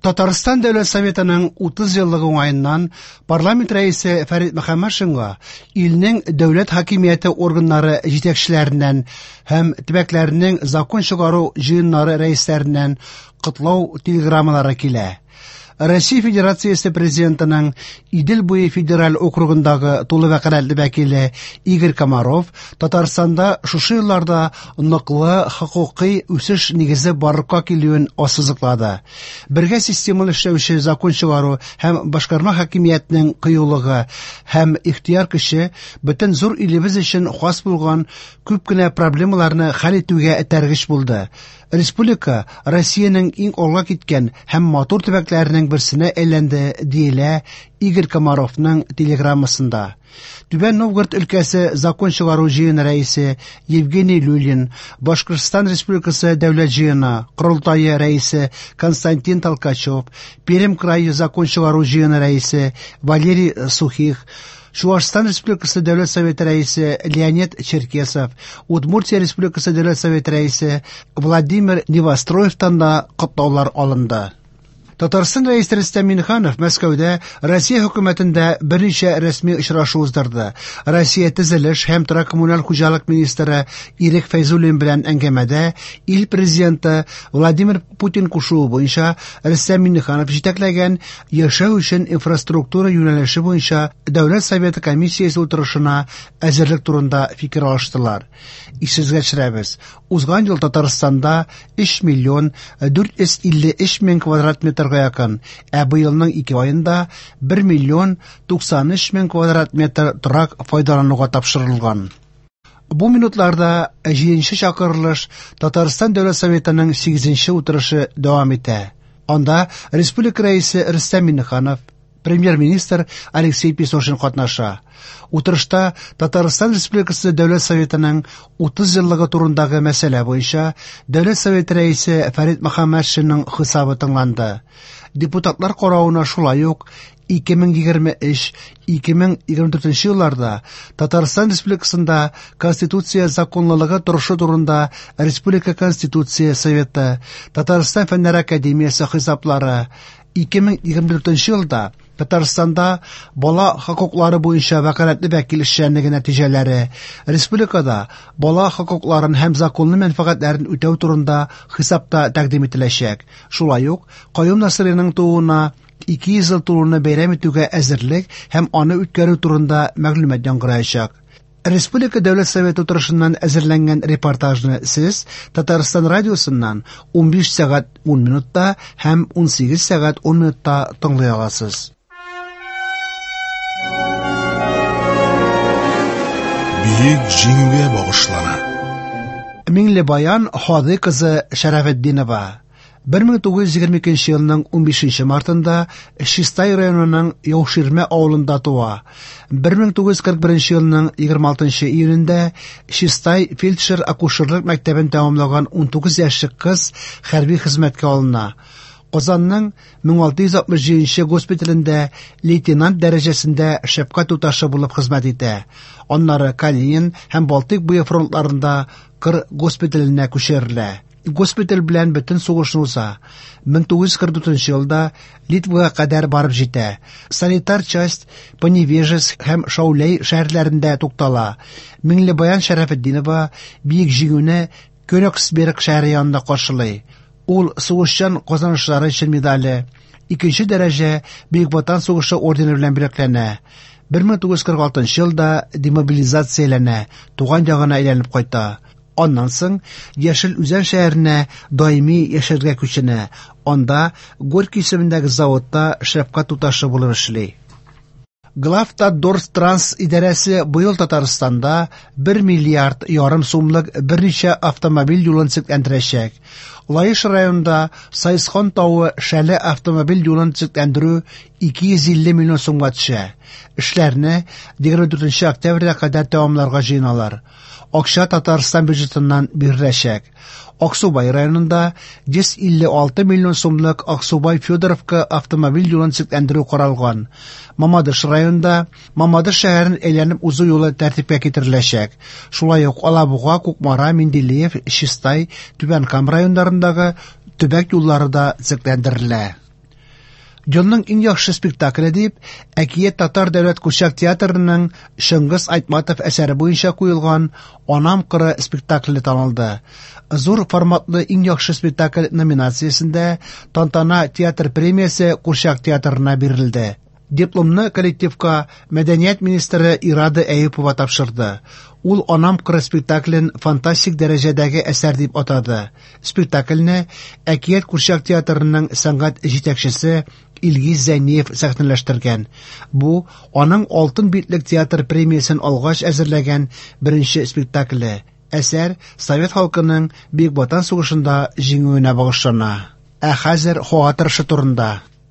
Татарстан Дәүләт Советының 30 еллыгы уңаеннан парламент рәисе Фәрит Мөхәммәтшинга илнең дәүләт хакимияте органнары җитәкчеләреннән һәм төбәкләрнең закон чыгару җыеннары рәисләреннән котлау телеграммалары килә. Россия Федерациясе Президентының Идел буе федераль округындагы тулы вәкаләтле вәкиле Игорь Комаров Татарстанда шушы елларда ныклы хокукый үсеш нигезе барлыкка килүен ассызыклады. Бергә системалы эшләүче закон чыгару һәм башкарма хакимиятнең кыюлыгы һәм ихтыяр көче бөтен зур илебез өчен хас булган күп кенә проблемаларны хәл итүгә этәргеч булды. Республика Россиянең иң алга киткән һәм матур төбәкләренең берсенә әйләнде, диелә Игорь Комаровның телеграммасында. Түбән Новгород өлкәсе закон чыгару җыены рәисе Евгений Люлин, Башкортстан Республикасы Дәүләт җыены Корылтае рәисе Константин Толкачев, Пермь крае закон чыгару җыены рәисе Валерий Сухих, Чуашстан Республикасы Дәүләт Советы рәисе Леонид Черкесов, Удмуртия Республикасы Дәүләт Советы рәисе Владимир Невостроевтан да котлаулар алынды. Татарстан Рәисе Рөстәм Миңнеханов Мәскәүдә Россия хөкүмәтендә берничә рәсми очрашу уздырды. Россия төзелеш һәм торак-коммуналь хуҗалык министры Ирек Фәйзуллин белән әңгәмәдә ил президенты Владимир Путин кушуы буенча Рөстәм Миңнеханов җитәкләгән яшәү өчен инфраструктура юнәлеше буенча Дәүләт Советы комиссиясе утырышына әзерлек турында фикер алыштылар. Исегезгә төшерәбез, узган ел Татарстанда 3 миллион 453 мең квадрат метрга якын, ә быелның ике аенда 1 миллион 93 мең квадрат метр торак файдалануга тапшырылган. Бу минутларда 7 чакырылыш Татарстан Дәүләт Советының 8 утырышы дәвам итә. Анда республика рәисе Рөстәм Миңнеханов, премьер-министр Алексей Песошин катнаша. Утырышта Татарстан Республикасы Дәүләт Советының 30 еллыгы турындагы мәсьәлә буенча Дәүләт Советы рәисе Фәрит Мөхәммәтшинның хисабы тыңланды. Депутатлар каравына шулай ук 2023-2024 елларда Татарстан Республикасында Конституция законлылыгы торышы турында Республика Конституция Советы, Татарстан Фәннәр Академиясе хисаплары, 2024 елда Татарстанда бала хокуклары буенча вәкаләтле вәкил эшчәнлеге нәтиҗәләре, республикада бала хокукларын һәм законлы мәнфәгатьләрен үтәү турында хисапта тәкъдим ителәчәк. Шулай ук Каюм Насыйриның тууына 200 ел тулуны бәйрәм итүгә әзерлек һәм аны үткәрү турында мәгълүмат яңгыраячак. Республика Дәүләт Советы утырышыннан әзерләнгән репортажны сез Татарстан радиосыннан 15 сәгать 10 минутта һәм 18 сәгать 10 минутта тыңлый аласыз. Бөек Җиңүгә багышлана. Миңлебаян Һади кызы Шәрәфетдинова 1922 елның 15 мартында Чистай районының Яуширмә авылында туа. 1941 елның 26 июнендә Чистай фельдшер-акушерлык мәктәбен тәмамлаган 19 яшьлек кыз хәрби хезмәткә алына. Казанның 1667 госпиталендә лейтенант дәрәҗәсендә шәфкать туташы булып хезмәт итә. Аннары Калинин һәм Балтыйк буе фронтларында кыр госпиталенә күчерелә. Госпиталь белән бөтен сугышны уза. 1944 елда Литвага кадәр барып җитә. Санитар часть Поневежеск һәм Шауляй шәһәрләрендә туктала. Миңлебаян Шәрәфетдинова Бөек Җиңүне Кёнигсберг шәһәре янында каршылый. Ул сугышчан казанышлары өчен медале, икенче дәрәҗә Бөек Ватан сугышы ордены белән бүләкләнә. 1946 елда демобилизацияләнә, туган ягына әйләнеп кайта. Аннан соң Яшел Үзән шәһәренә даими яшәргә күченә. Анда Горький исемендәге заводта шәфкать туташы булып эшли. Главтатдорстранс идарәсе быел Татарстанда 1 миллиард ярым сумлык берничә автомобиль юлын төзекләндерәчәк. Лаеш районында Сайысхан тавы Шәле автомобиль юлын төзекләндерү 250 миллион сумга төшә. Эшләрне 24 октябрьгә кадәр тәмамларга җыеналар. Акча Татарстан бюджетыннан биреләчәк. Аксубай районында 156 миллион сумлык Аксубай Федоровка автомобиль юлын төзекләндерү каралган. Мамадыш районында Мамадыш шәһәрен әйләнеп узу юлы тәртипкә китереләчәк. Шулай ук Алабуга, Кукмара, Менделеев, Чистай, Түбән Кама районнарындагы төбәк юллары да төзекләндерелә. Елның иң яхшы спектакле дип Әкият татар дәүләт курчак театрының Чыңгыз Айтматов әсәре буенча куелган Анам кыры спектакле танылды. Зур форматлы иң яхшы спектакль номинациясендә Тантана театр премиясе курчак театрына бирелде. Дипломны коллективка мәдәният министры Ирада Әюпова тапшырды. Ул Анам кыры спектаклен фантастик дәрәҗәдәге әсәр дип атады. Спектакльне Әкият курчак театрының сәнгать җитәкчесе Илгиз Зәйниев сәхнәләштергән. Бу аның Алтын битлек театр премиясен алгач әзерләгән беренче спектакле. Әсәр совет халкының Бөек Ватан сугышында җиңүенә багышлана. Ә хәзер һава торышы турында.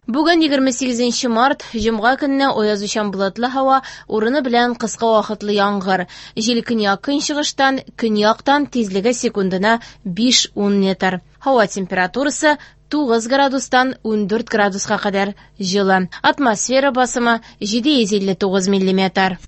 Бүген 28 март, җомга көнне аязучан болытлы һава, урыны белән кыска вакытлы яңгыр. Җил көньяк-көнчыгыштан, көньяктан тизлеге секундына 5-10 метр. Һава температурасы 9 градустан 14 градуска кадәр җылы. Атмосфера басымы 759 миллиметр.